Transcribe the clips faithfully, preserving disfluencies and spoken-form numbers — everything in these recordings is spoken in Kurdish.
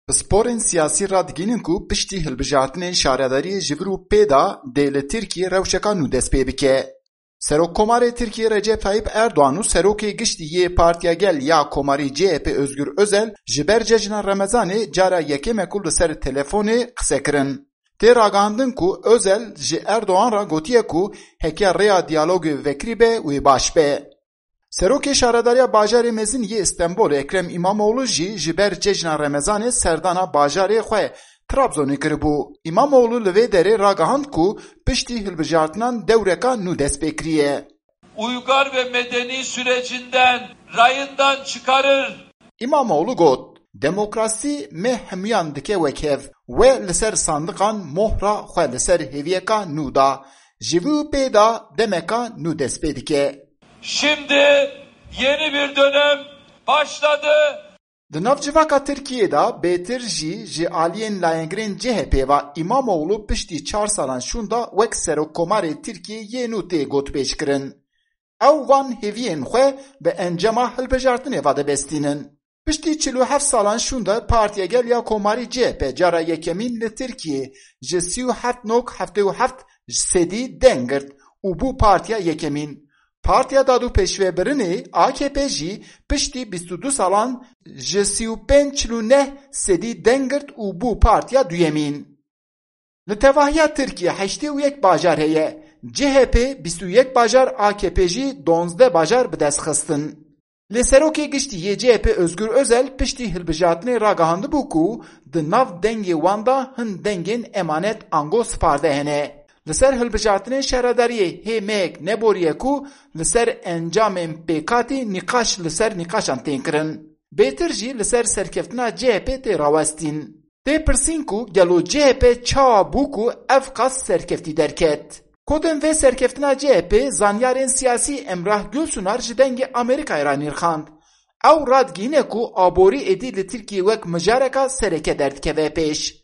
Pisporên siyasî radigihînin ku piştî hilbijartinên şaredariyê ji vir û pê de dê li Tirkiyê rewşeka nû dest pê bike. Serokkomarê Tirkiyê Recep Tayyip Erdoğan û serokê giştî yê Partiya Gel ya Komarî C H P Özgür Özel ji ber cejna Remezanê cara yekêm e ku li ser telefonê qise kirin. Tê ragihandin ku Özel ji Erdoğan re gotiye ku heke rêya diyalogê vekirî be wê baş be. Serokê Şaredariya Bajarê Mezin yê Stenbolê Ekrem İmamoğlu jî ji ber cejna Remezanê serdana bajarê xwe Trabzonê kiribû. İmamoğlu li vê derê ragihand ku piştî hilbijartinan dewreka nû dest pê kiriye. Uygar ve medeni sürecinden rayından çıkarır. İmamoğlu got, demokrasî me hemûyan dike wek hev. We li ser sandiqan mohra xwe li ser hêviyeka nû da. Ji vî û pê de demeka nû dest pê dike. Şimdi yeni bir dönem başladı. Di nav civaka Tirkiyê de bêtir jî ji aliyên layengirên C H P ve İmamoğlu piştî çar salan şûnda wek Serokkomarê Tirkiyê yê nû tê gotpêşkirin. Ew van hêviyên xwe bi encama hilbijartinê ve dibestînin. Piştî çil û heft salan şûnda Partiya Gel ya Komarî C H P cara yekemîn li Tirkiyê ji sî û heft nok heftê û heft sedî deng girt û bû partiya yekemîn. Partiya Dad û Pêşvebirinê A K P jî piştî bîst û du salan ji sî û pênc çil û neh sedî deng girt û bû partiya duyemîn. Li tevahiya Tirkiyê heştê û yek bajar heye. C H P bîst û yek bajar, A K P jî duwazdeh bajar bi dest xistin. Lê serokê giştî yê C H P Özgür Özel piştî hilbijartinê ragihandibû ku di nav dengê wan de hin dengên emanet ango sparde hene. Li ser hilbijartinên şaredariyê hê meyek neboriye ku li ser encamên pêkhatî nîqaş li ser nîqaşan tên kirin. Bêtir jî li ser serkeftina C H P tê rawestîn. Tê pirsîn ku gelo C H P çawa bû ku ev qas serkeftî derket? Kodên vê serkeftina C H P zanyarên siyasî Emrah Gulsunar ji Dengê Amerîkayê re nirxand. Ew radigihîne ku aborî êdî li Tirkiyê wek mijareka sereke derdikeve pêş.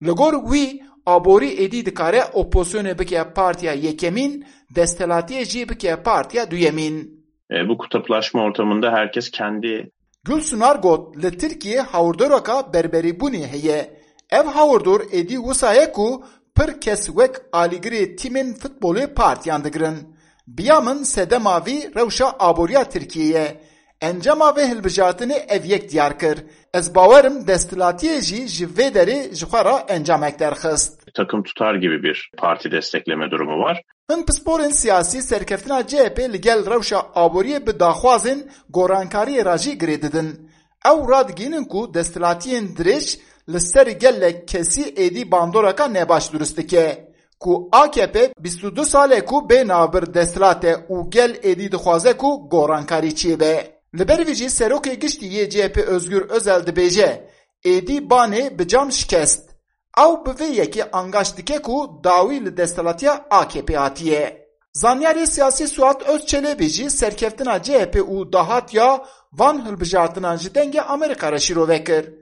Li gor wî, aborî êdî dikare opozisyonê bike partiya yekemîn, desthilatiyê jî bike partiya duyemîn. E, bu kutuplaşma ortamında herkes kendi Gulsunar got, li Tirkiyê hawirdoreka berberîbûnê heye. Ev hawirdor êdî wisa ye ku pir kes wek alîgirê tîmên futbolê partiyan digirin. Biya min sedema vî rewşa aboriya Tirkiyê ye. Encama vê hilbijartinê ev yek diyar kir. Ez bawer im desthilatiyê jî ji vê derê ji xwe re encamek derxist. Takım tutar gibi bir parti destekleme durumu var. Hin pisporên siyasî serkeftina C H P li gel rewşa aboriyê bi daxwazên gorankariyê re jî girê didin. Ew radigihînin ku desthilatiyên dirêj li ser gelek kesî êdî bandoreka nebaş durust dike. Ku A K P bîst û du sal e ku bê navbir desthilat e û gel êdî dixwaze ku gorankarî çêbe. Li ber vî jî serokê giştî yê C H P Özgür Özel dibêje, êdî banê bi cam şikest. Ew bi vê yekê angaşt dike ku dawî li desthilatiya A K P hatiye. Zanyarê siyasî Suat Özçelebî jî serkeftina C H P û dahatiya van hilbijartinan ji Dengê Amerîka re şîrove kir.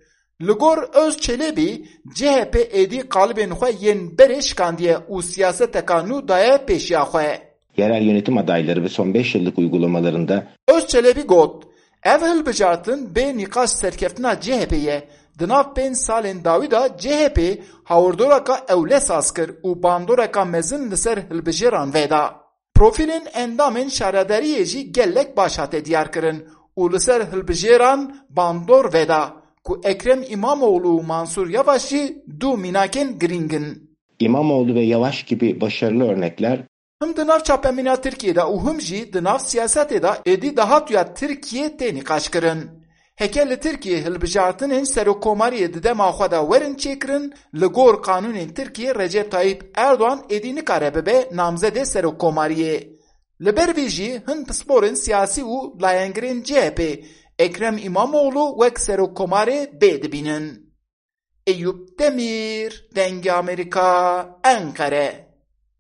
Li gor Özçelebî, C H P êdî qalibên xwe yên berê şikandiye û siyaseteka nû daye pêşiya xwe. Yerel yönetim adayları ve son beş yıllık uygulamalarında Özçelebî got, ev hilbijartin bê nîqaş serkeftina C H P ye. Di nav pênc salên dawî de C H P hawirdoreka ewle saz kir û bandoreka mezin li ser hilbijêran veda. Profîlên endamên şaredariyê jî gelek baş hate diyarkirin û li ser hilbijêran bandor veda ku Ekrem İmamoğlu û Mansur Yavaş jî du mînakên girîng in. İmamoğlu ve Yavaş gibi başarılı örnekler Him di nav çapemîna Tirkiyê de û him jî di nav siyasetê de êdî dahatuya Tirkiyê tê nîqaşkirin. Heke li Tirkiyê hilbijartinên serokkomariyê di dema xwe de werin çêkirin, li gor qanûnên Tirkiyê Recep Tayyip Erdoğan êdî nikare bibe namzedê serokkomariyê. Li ber vî jî hin pisporên siyasî û layengirên C H P Ekrem İmamoğlu wek serokkomarê bê dibînin. Eyûp Demîr, Dengê Amerîka, Enqere.